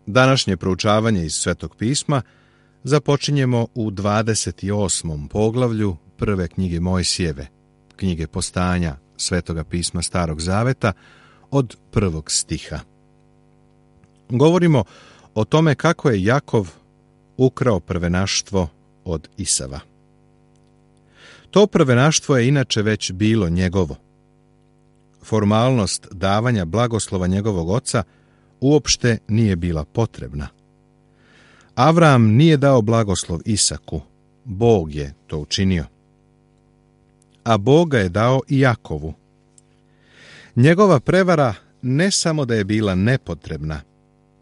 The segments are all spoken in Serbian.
Današnje proučavanje iz Svetog pisma započinjemo u 28. poglavlju prve knjige Mojsijeve, knjige Postanja Svetoga pisma Starog zaveta, od 1. stiha. Govorimo o tome kako je Jakov ukrao prvenaštvo od Isava. To prvenaštvo je inače već bilo njegovo. Formalnost davanja blagoslova njegovog oca uopšte nije bila potrebna. Avram nije dao blagoslov Isaku, Bog je to učinio. A Bog ga je dao i Jakovu. Njegova prevara ne samo da je bila nepotrebna,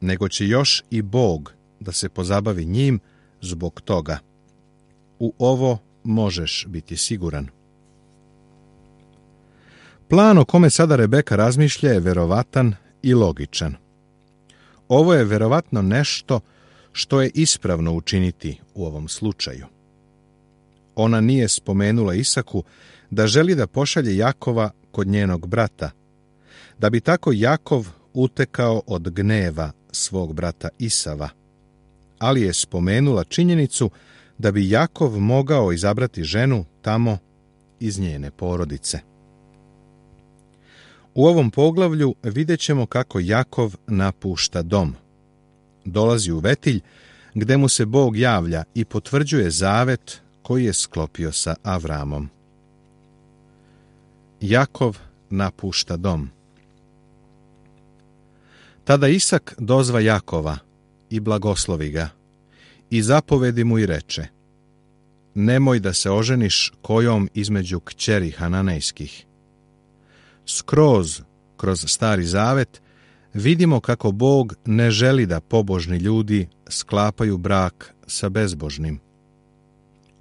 nego će još i Bog da se pozabavi njim zbog toga. U ovo možeš biti siguran. Plan o kome sada Rebeka razmišlja je verovatan i logičan. Ovo je verovatno nešto što je ispravno učiniti u ovom slučaju. Ona nije spomenula Isaku da želi da pošalje Jakova kod njenog brata, da bi tako Jakov utekao od gneva svog brata Isava, ali je spomenula činjenicu da bi Jakov mogao izabrati ženu tamo iz njene porodice. U ovom poglavlju vidjet ćemo kako Jakov napušta dom. Dolazi u Vetilj, gde mu se Bog javlja i potvrđuje zavet koji je sklopio sa Avramom. Jakov napušta dom. Tada Isak dozva Jakova i blagoslovi ga i zapovedi mu i reče: nemoj da se oženiš kojom između kćeri Hananejskih. Kroz Stari zavet vidimo kako Bog ne želi da pobožni ljudi sklapaju brak sa bezbožnim.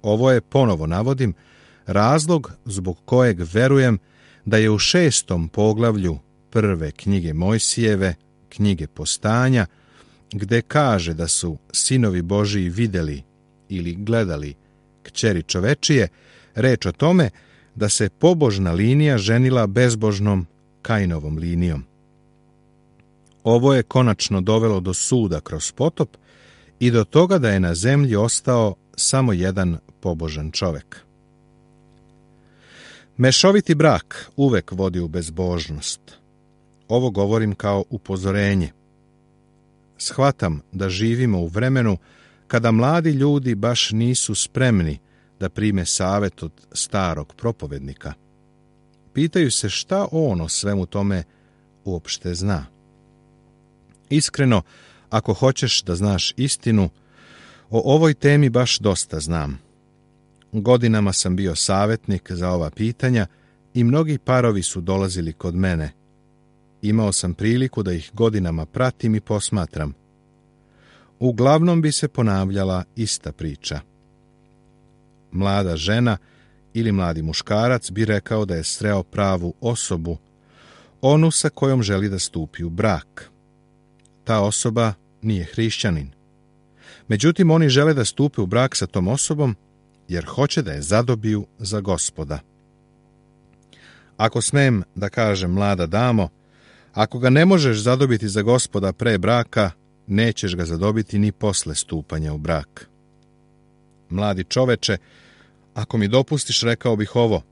Ovo je, ponovo navodim, razlog zbog kojeg verujem da je u 6. poglavlju prve knjige Mojsijeve, knjige Postanja, gde kaže da su sinovi Božiji vidjeli ili gledali kćeri čovečije, reč o tome da se pobožna linija ženila bezbožnom Kainovom linijom. Ovo je konačno dovelo do suda kroz potop i do toga da je na zemlji ostao samo jedan pobožan čovek. Mešoviti brak uvek vodi u bezbožnost. Ovo govorim kao upozorenje. Shvatam da živimo u vremenu kada mladi ljudi baš nisu spremni da prime savet od starog propovednika. Pitaju se šta on o svemu tome uopšte zna. Iskreno, ako hoćeš da znaš istinu, o ovoj temi baš dosta znam. Godinama sam bio savjetnik za ova pitanja i mnogi parovi su dolazili kod mene. Imao sam priliku da ih godinama pratim i posmatram. Uglavnom bi se ponavljala ista priča. Mlada žena ili mladi muškarac bi rekao da je sreo pravu osobu, onu sa kojom želi da stupi u brak. Ta osoba nije hrišćanin. Međutim, oni žele da stupe u brak sa tom osobom jer hoće da je zadobiju za Gospoda. Ako smem da kažem, mlada damo, ako ga ne možeš zadobiti za Gospoda pre braka, nećeš ga zadobiti ni posle stupanja u brak. Mladi čoveče, ako mi dopustiš, rekao bih ovo: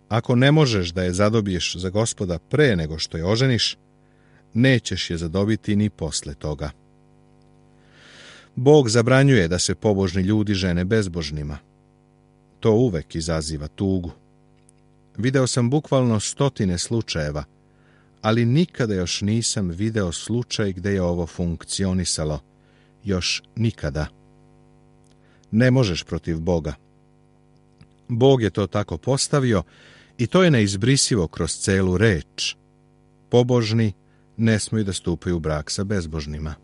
ako ne možeš da je zadobiješ za Gospoda pre nego što je oženiš, nećeš je zadobiti ni posle toga. Bog zabranjuje da se pobožni ljudi žene bezbožnima. To uvek izaziva tugu. Video sam bukvalno 100 slučajeva, ali nikada još nisam video slučaj gde je ovo funkcionisalo. Još nikada. Ne možeš protiv Boga. Bog je to tako postavio i to je neizbrisivo kroz celu reč. Pobožni ne smiju da stupaju u brak sa bezbožnima.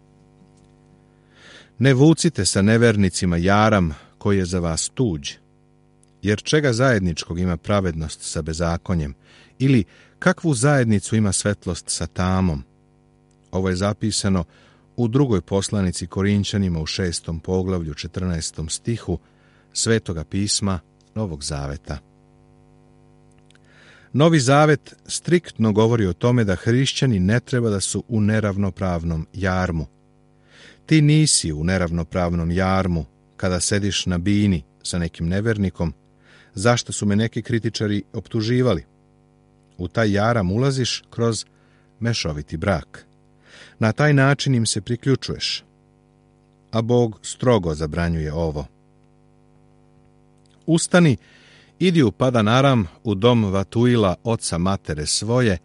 Ne vucite sa nevernicima jaram koji je za vas tuđ, jer čega zajedničkog ima pravednost sa bezakonjem, ili kakvu zajednicu ima svetlost sa tamom. Ovo je zapisano u 2. poslanici Korinćanima u 6. poglavlju 14. stihu Svetoga pisma Novog zaveta. Novi zavet striktno govori o tome da hrišćani ne treba da su u neravnopravnom jarmu. Ti nisi u neravnopravnom jarmu kada sediš na bini sa nekim nevernikom, zašto su me neki kritičari optuživali. U taj jaram ulaziš kroz mešoviti brak. Na taj način im se priključuješ. A Bog strogo zabranjuje ovo. Ustani, idi u Padan Aram, u dom Vatuila, oca matere svoje,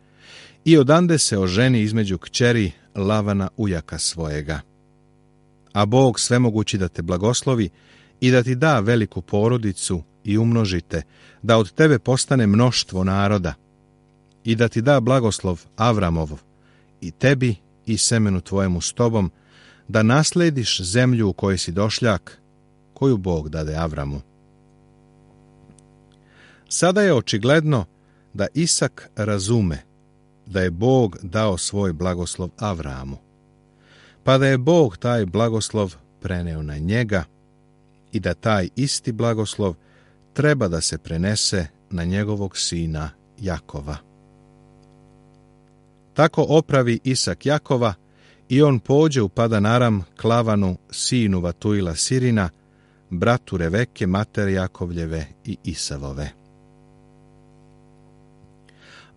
i odande se oženi između kćeri Lavana ujaka svojega. A Bog svemogući da te blagoslovi i da ti da veliku porodicu i umnožite, da od tebe postane mnoštvo naroda, i da ti da blagoslov Avramov, i tebi i semenu tvojemu s tobom, da naslediš zemlju u kojoj si došljak, koju Bog dade Avramu. Sada je očigledno da Isak razume da je Bog dao svoj blagoslov Avramu, pa da je Bog taj blagoslov preneo na njega i da taj isti blagoslov treba da se prenese na njegovog sina Jakova. Tako opravi Isak Jakova i on pođe u Padan Aram k Lavanu, sinu Vatuila Sirina, bratu Reveke, matere Jakovljeve i Isavove.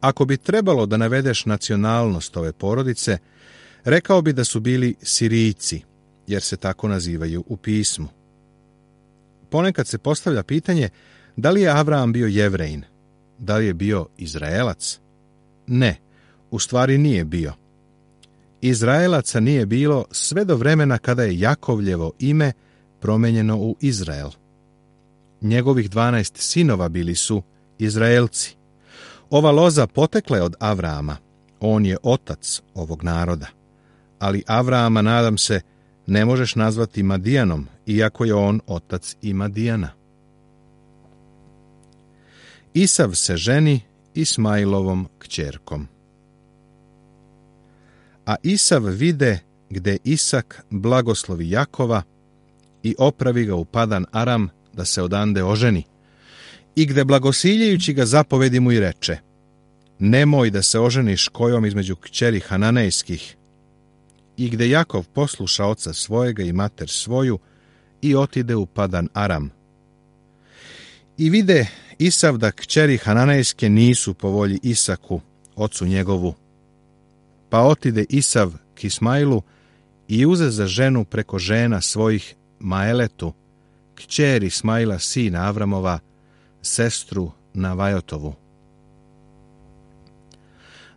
Ako bi trebalo da navedeš nacionalnost ove porodice, rekao bi da su bili Sirijci, jer se tako nazivaju u pismu. Ponekad se postavlja pitanje da li je Avram bio Jevrejin, da li je bio Izraelac? Ne, u stvari nije bio. Izraelaca nije bilo sve do vremena kada je Jakovljevo ime promenjeno u Izrael. Njegovih 12 sinova bili su Izraelci. Ova loza potekla je od Avrama, on je otac ovog naroda. Ali Avrama, nadam se, ne možeš nazvati Madijanom, iako je on otac i Madijana. Isav se ženi Ismailovom kćerkom. A Isav vide gde Isak blagoslovi Jakova i opravi ga u Padan Aram da se odande oženi, i gde blagosiljajući ga zapovedi mu i reče: nemoj da se oženiš kojom između kćeri Hananejskih. I gde Jakov posluša oca svojega i mater svoju i otide u Padan Aram. I vide Isav da kćeri Hananejske nisu po volji Isaku, ocu njegovu. Pa otide Isav k Ismailu i uze za ženu preko žena svojih Maeletu, kćer Ismaila sina Avramova, sestru Navajotovu.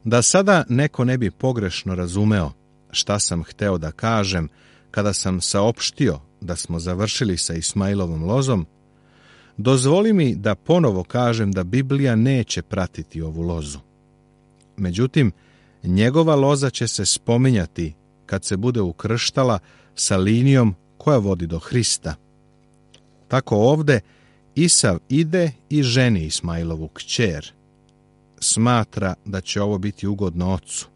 Da sada neko ne bi pogrešno razumeo šta sam hteo da kažem kada sam saopštio da smo završili sa Ismailovom lozom, dozvoli mi da ponovo kažem da Biblija neće pratiti ovu lozu. Međutim, njegova loza će se spominjati kad se bude ukrštala sa linijom koja vodi do Hrista. Tako ovde Isav ide i ženi Ismailovu kćer. Smatra da će ovo biti ugodno ocu.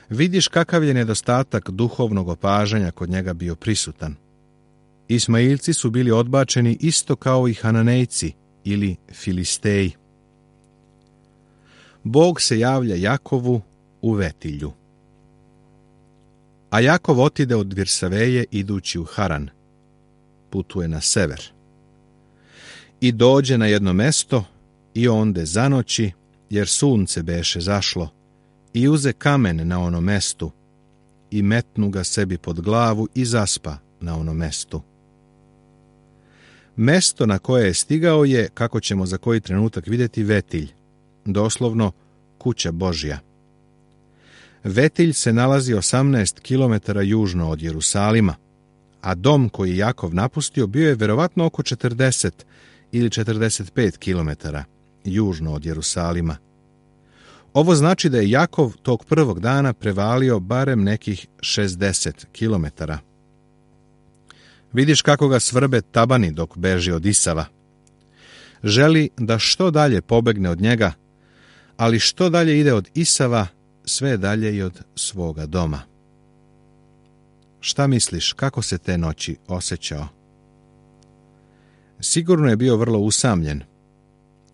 Vidiš kakav je nedostatak duhovnog opažanja kod njega bio prisutan. Ismailci su bili odbačeni isto kao i Hananejci ili Filisteji. Bog se javlja Jakovu u Vetilju. A Jakov otide od Virsaveje idući u Haran. Putuje na sever. I dođe na jedno mesto i onde zanoći, jer sunce beše zašlo, i uze kamen na ono mestu i metnu ga sebi pod glavu i zaspa na ono mestu. Mesto na koje je stigao je, kako ćemo za koji trenutak vidjeti, Vetilj, doslovno kuća Božja. Vetilj se nalazi 18 km južno od Jerusalima, a dom koji Jakov napustio bio je verovatno oko 40 ili 45 km južno od Jerusalima. Ovo znači da je Jakov tog prvog dana prevalio barem nekih 60 km. Vidiš kako ga svrbe tabani dok beži od Isava. Želi da što dalje pobegne od njega, ali što dalje ide od Isava, sve dalje i od svoga doma. Šta misliš, kako se te noći osjećao? Sigurno je bio vrlo usamljen.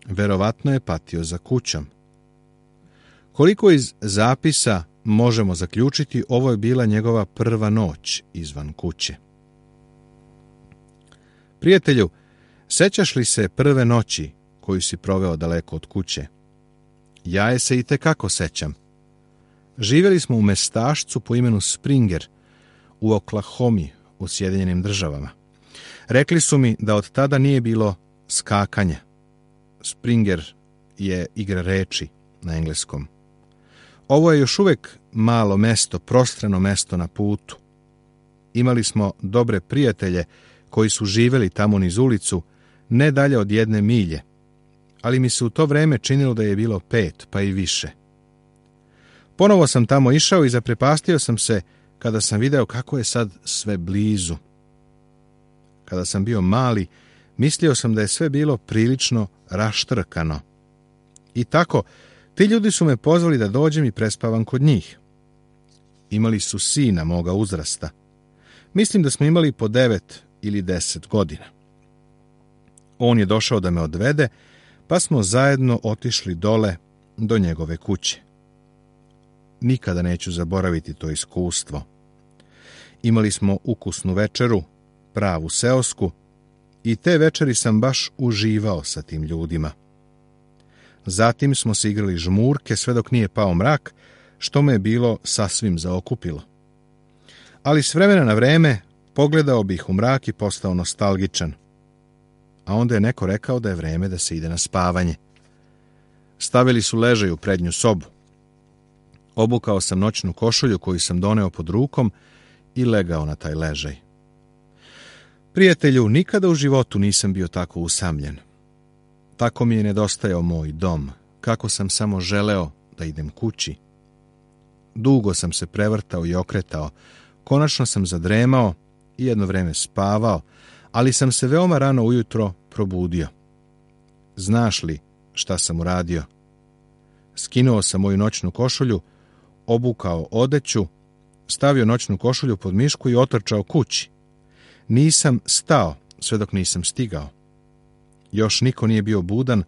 Verovatno je patio za kućom. Koliko iz zapisa možemo zaključiti ovo je bila njegova prva noć izvan kuće. Prijatelju, sećaš li se prve noći koju si proveo daleko od kuće? Ja je se itekako sećam. Živjeli smo u mestašcu po imenu Springer u Oklahomi u Sjedinjenim Državama. Rekli su mi da od tada nije bilo skakanja. Springer je igra reči na engleskom. Ovo je još uvijek malo mesto, prostrano mesto na putu. Imali smo dobre prijatelje koji su živjeli tamo niz ulicu, ne dalje od 1 milje, ali mi se u to vreme činilo da je bilo 5, pa i više. Ponovo sam tamo išao i zaprepastio sam se kada sam video kako je sad sve blizu. Kada sam bio mali, mislio sam da je sve bilo prilično raštrkano. I tako, ti ljudi su me pozvali da dođem i prespavam kod njih. Imali su sina moga uzrasta. Mislim da smo imali po 9 ili 10 godina. On je došao da me odvede, pa smo zajedno otišli dole do njegove kuće. Nikada neću zaboraviti to iskustvo. Imali smo ukusnu večeru, pravu seosku, i te večeri sam baš uživao sa tim ljudima. Zatim smo se igrali žmurke sve dok nije pao mrak, što me je bilo sasvim zaokupilo. Ali s vremena na vreme pogledao bih u mrak i postao nostalgičan. A onda je neko rekao da je vreme da se ide na spavanje. Stavili su ležaj u prednju sobu. Obukao sam noćnu košulju koju sam doneo pod rukom i legao na taj ležaj. Prijatelju, nikada u životu nisam bio tako usamljen. Tako mi je nedostajao moj dom, kako sam samo želeo da idem kući. Dugo sam se prevrtao i okretao, konačno sam zadremao i jedno vreme spavao, ali sam se veoma rano ujutro probudio. Znaš li šta sam uradio? Skinuo sam moju noćnu košulju, obukao odeću, stavio noćnu košulju pod mišku i otrčao kući. Nisam stao sve dok nisam stigao. Još niko nije bio budan,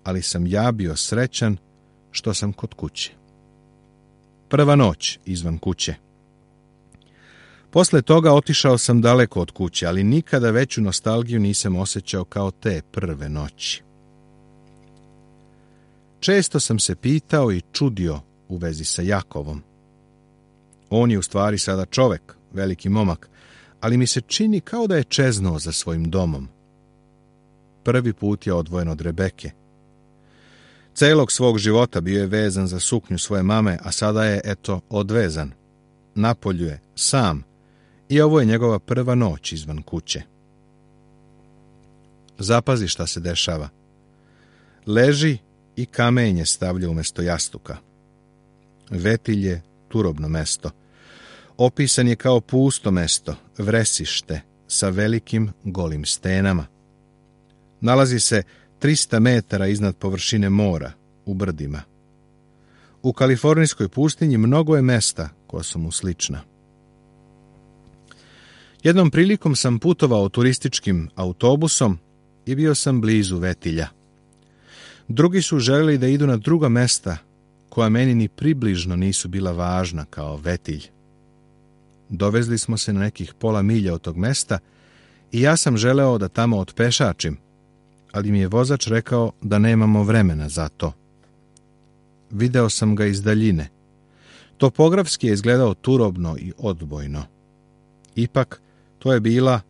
ali sam ja bio srećan što sam kod kuće. Prva noć izvan kuće. Posle toga otišao sam daleko od kuće, ali nikada veću nostalgiju nisam osjećao kao te prve noći. Često sam se pitao i čudio u vezi sa Jakovom. On je u stvari sada čovek, veliki momak, ali mi se čini kao da je čeznuo za svojim domom. Prvi put je odvojen od Rebeke. Celog svog života bio je vezan za suknju svoje mame, a sada je, eto, odvezan. Napolju je, sam, i ovo je njegova prva noć izvan kuće. Zapazi šta se dešava. Leži i kamenje stavlja umjesto jastuka. Vetilj je turobno mesto. Opisan je kao pusto mesto, vresište, sa velikim golim stenama. Nalazi se 300 metara iznad površine mora, u brdima. U kalifornijskoj pustinji mnogo je mesta koja su mu slična. Jednom prilikom sam putovao turističkim autobusom i bio sam blizu Vetilja. Drugi su željeli da idu na druga mesta koja meni ni približno nisu bila važna kao Vetilj. Dovezli smo se na nekih pola milja od tog mesta i ja sam želeo da tamo otpešačim, ali mi je vozač rekao da nemamo vremena za to. Video sam ga iz daljine. Topografski je izgledao turobno i odbojno. Ipak, to je bila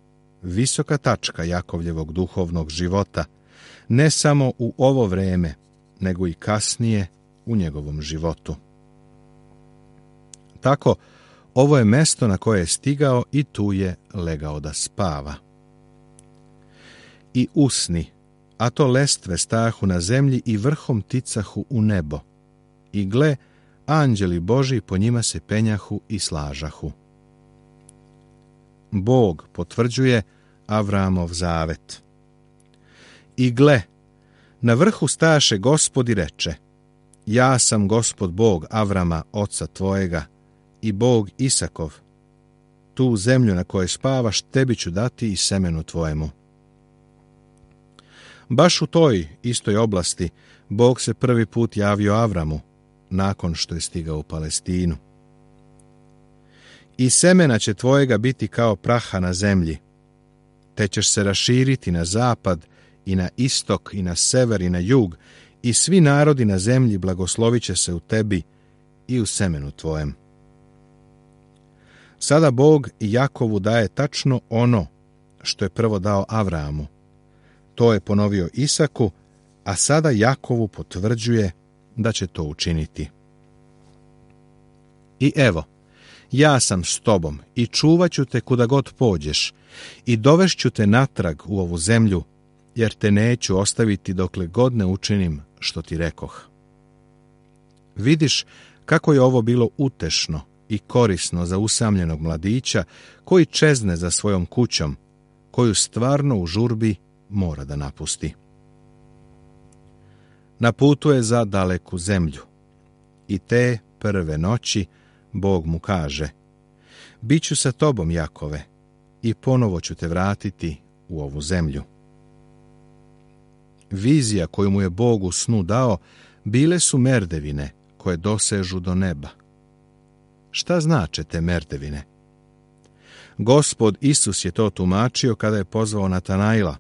visoka tačka Jakovljevog duhovnog života, ne samo u ovo vreme, nego i kasnije u njegovom životu. Tako, ovo je mesto na koje je stigao i tu je legao da spava. I usni, a to lestve stajahu na zemlji i vrhom ticahu u nebo. I gle, anđeli Božji po njima se penjahu i slažahu. Bog potvrđuje Avramov zavet. I gle, na vrhu stajaše Gospod i reče: Ja sam Gospod Bog Avrama, oca tvojega, i Bog Isakov. Tu zemlju na kojoj spavaš tebi ću dati i semenu tvojemu. Baš u toj istoj oblasti Bog se prvi put javio Avramu, nakon što je stigao u Palestinu. i semena će tvojega biti kao praha na zemlji, te ćeš se raširiti na zapad i na istok i na sever i na jug, i svi narodi na zemlji blagoslovit će se u tebi i u semenu tvojem. Sada Bog Jakovu daje tačno ono što je prvo dao Avramu. To je ponovio Isaku, a sada Jakovu potvrđuje da će to učiniti. I evo, ja sam s tobom i čuvat ću te kuda god pođeš i dovešću te natrag u ovu zemlju, jer te neću ostaviti dokle god ne učinim što ti rekoh. Vidiš kako je ovo bilo utešno i korisno za usamljenog mladića koji čezne za svojom kućom, koju stvarno u žurbi mora da napusti. Na putu je za daleku zemlju i te prve noći Bog mu kaže: Biću sa tobom, Jakove, i ponovo ću te vratiti u ovu zemlju. Vizija koju mu je Bog u snu dao bile su merdevine koje dosežu do neba. Šta znače te merdevine? Gospod Isus je to tumačio kada je pozvao Natanaila,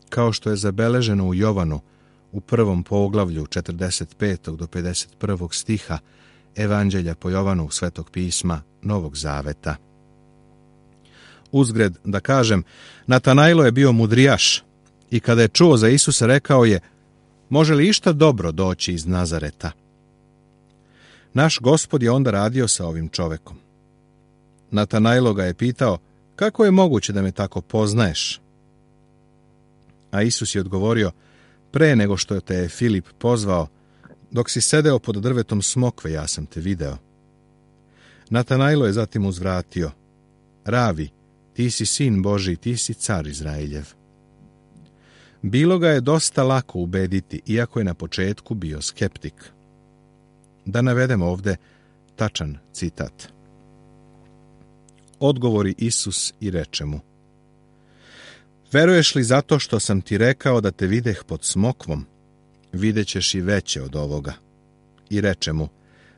kao što je zabeleženo u Jovanu u 1. poglavlju 45. do 51. stiha Evanđelja po Jovanu Svetog pisma Novog Zaveta. Uzgred da kažem, Natanailo je bio mudrijaš i kada je čuo za Isusa rekao je: može li išta dobro doći iz Nazareta? Naš Gospod je onda radio sa ovim čovekom. Natanailo ga je pitao: kako je moguće da me tako poznaješ? A Isus je odgovorio: pre nego što te je Filip pozvao, dok si sedeo pod drvetom smokve, ja sam te video. Natanailo je zatim uzvratio: Ravi, ti si sin Božji, ti si car Izraeljev. Bilo ga je dosta lako ubediti, iako je na početku bio skeptik. Da navedemo ovde tačan citat. Odgovori Isus i reče mu: veruješ li zato što sam ti rekao da te videh pod smokvom? Videćeš i veće od ovoga. I reče mu: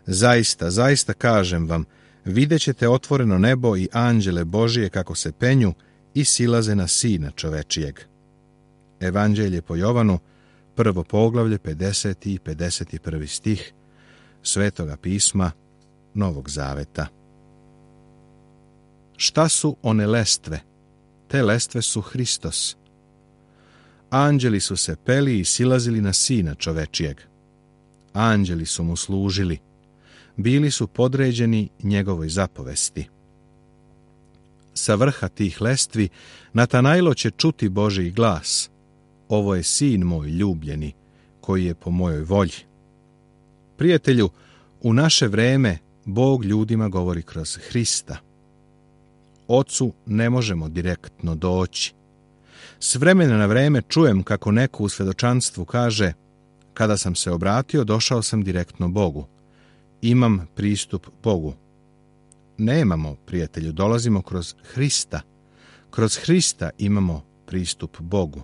zaista, zaista kažem vam, videćete otvoreno nebo i anđele Božije kako se penju i silaze na Sina čovečijeg. Evanđelje po Jovanu, 1. poglavlje, 50. i 51. stih Svetoga pisma Novog Zaveta. Šta su one lestve? Te lestve su Hristos. Anđeli su se peli i silazili na Sina čovečijeg. Anđeli su mu služili. Bili su podređeni njegovoj zapovesti. Sa vrha tih lestvi Natanailo će čuti Božji glas: ovo je sin moj ljubljeni, koji je po mojoj volji. Prijatelju, u naše vreme Bog ljudima govori kroz Hrista. Ocu ne možemo direktno doći. S vremena na vreme čujem kako neko u svedočanstvu kaže: kada sam se obratio, došao sam direktno Bogu. Imam pristup Bogu. Nemamo, prijatelju, dolazimo kroz Hrista. Kroz Hrista imamo pristup Bogu.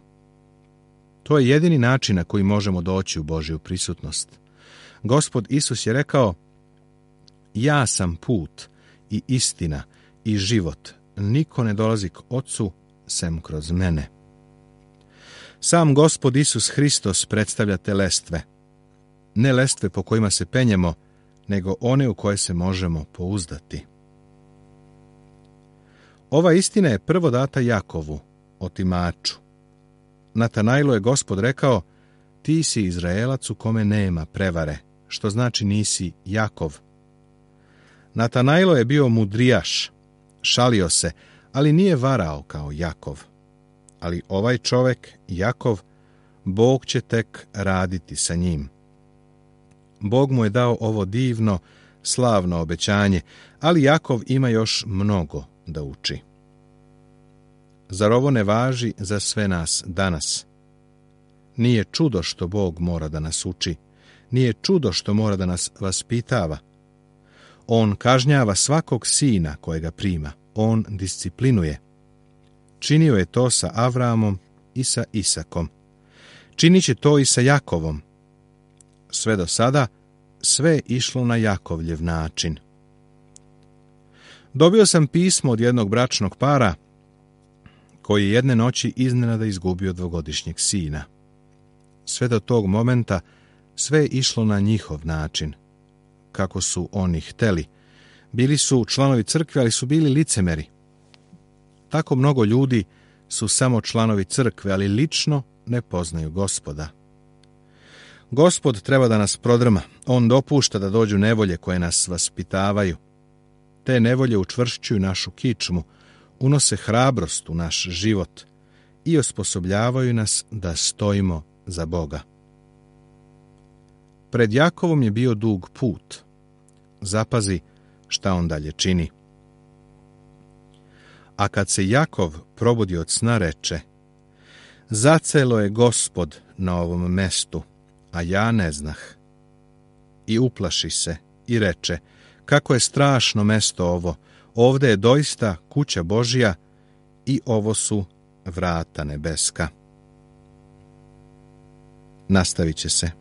To je jedini način na koji možemo doći u Božju prisutnost. Gospod Isus je rekao: ja sam put i istina i život. Niko ne dolazi k Ocu sem kroz mene. Sam Gospod Isus Hristos predstavlja te lestve. Ne lestve po kojima se penjemo, nego one u koje se možemo pouzdati. Ova istina je prvo data Jakovu, otimaču. Natanailu je Gospod rekao: ti si Izraelac u kome nema prevare, što znači nisi Jakov. Natanailo je bio mudrijaš, šalio se, ali nije varao kao Jakov. Ali ovaj čovek, Jakov, Bog će tek raditi sa njim. Bog mu je dao ovo divno, slavno obećanje, ali Jakov ima još mnogo da uči. Zar ovo ne važi za sve nas danas? Nije čudo što Bog mora da nas uči, nije čudo što mora da nas vaspitava. On kažnjava svakog sina kojega prima, on disciplinuje. Činio je to sa Avramom i sa Isakom. Činit će to i sa Jakovom. Sve do sada, sve je išlo na Jakovljev način. Dobio sam pismo od jednog bračnog para koji je jedne noći iznenada izgubio dvogodišnjeg sina. Sve do tog momenta sve je išlo na njihov način, kako su oni hteli. Bili su članovi crkve, ali su bili licemeri. Tako mnogo ljudi su samo članovi crkve, ali lično ne poznaju Gospoda. Gospod treba da nas prodrma. On dopušta da dođu nevolje koje nas vaspitavaju. Te nevolje učvršćuju našu kičmu, unose hrabrost u naš život i osposobljavaju nas da stojimo za Boga. Pred Jakovom je bio dug put. Zapazi šta on dalje čini. A kad se Jakov probudi od sna, reče: Zacelo je Gospod na ovom mestu, a ja ne znah. I uplaši se i reče: Kako je strašno mesto ovo, ovde je doista kuća Božja i ovo su vrata nebeska. Nastavit će se.